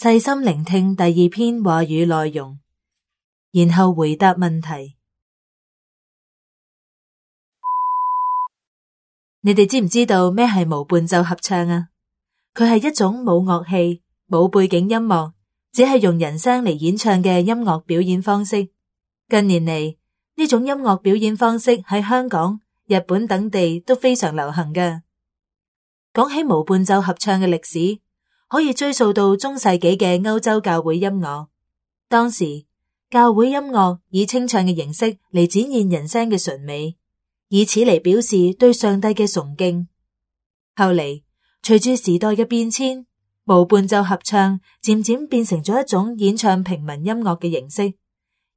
細心聆聽第二篇話語內容，然後回答問題。你哋知唔知道咩係無伴奏合唱啊？佢係一種冇樂器、冇背景音樂，只係用人聲嚟演唱嘅音樂表演方式。近年嚟，呢種音樂表演方式喺香港、日本等地都非常流行嘅。講起無伴奏合唱嘅歷史，可以追溯到中世紀嘅歐洲教會音樂。當時教會音樂以清唱嘅形式嚟展現人聲嘅純美，以此嚟表示對上帝嘅崇敬。後嚟隨住時代嘅變遷，無伴奏合唱漸漸變成咗一種演唱平民音樂嘅形式，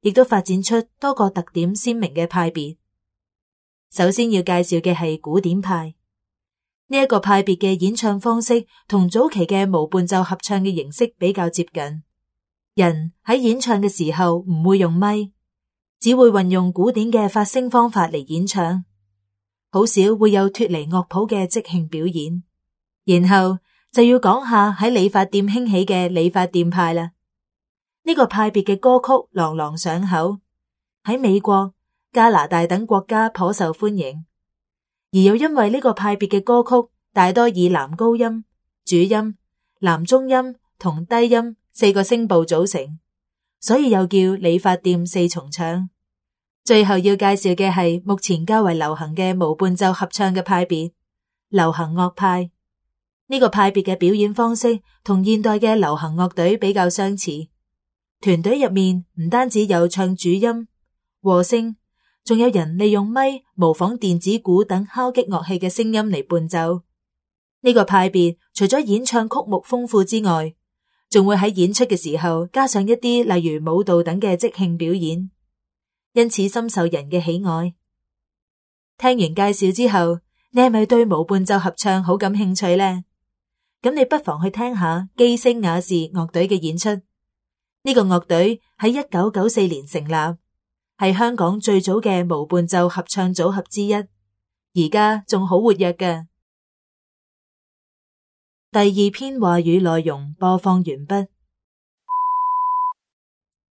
亦都發展出多個特點鮮明嘅派別。首先要介紹嘅係古典派。呢一個派別嘅演唱方式同早期嘅無伴奏合唱嘅形式比較接近。人喺演唱嘅時候唔會用咪，只會運用古典嘅發聲方法嚟演唱，好少會有脫離樂譜嘅即興表演。然後就要講下喺理髮店興起嘅理髮店派啦。呢個派別嘅歌曲朗朗上口，喺美國、加拿大等國家頗受歡迎。而又因為呢個派別嘅歌曲大多以男高音、主音、男中音同低音4個聲部組成，所以又叫理髮店四重唱。最後要介紹嘅係目前較為流行嘅無伴奏合唱嘅派別——流行樂派。呢個派別嘅表演方式同現代嘅流行樂隊比較相似，團隊入面唔單止有唱主音、和聲，仲有人利用咪模仿電子鼓等敲擊樂器嘅聲音嚟伴奏。呢個派別除咗演唱曲目豐富之外，仲會喺演出嘅時候加上一啲例如舞蹈等嘅即興表演，因此深受人嘅喜愛。聽完介紹之後，你係咪對無伴奏合唱好感興趣呢？咁你不妨去聽下基聲雅士樂隊嘅演出。呢個樂隊喺1994年成立，係香港最早嘅無伴奏合唱組合之一，而家仲好活躍嘅。第二篇話語內容播放完畢。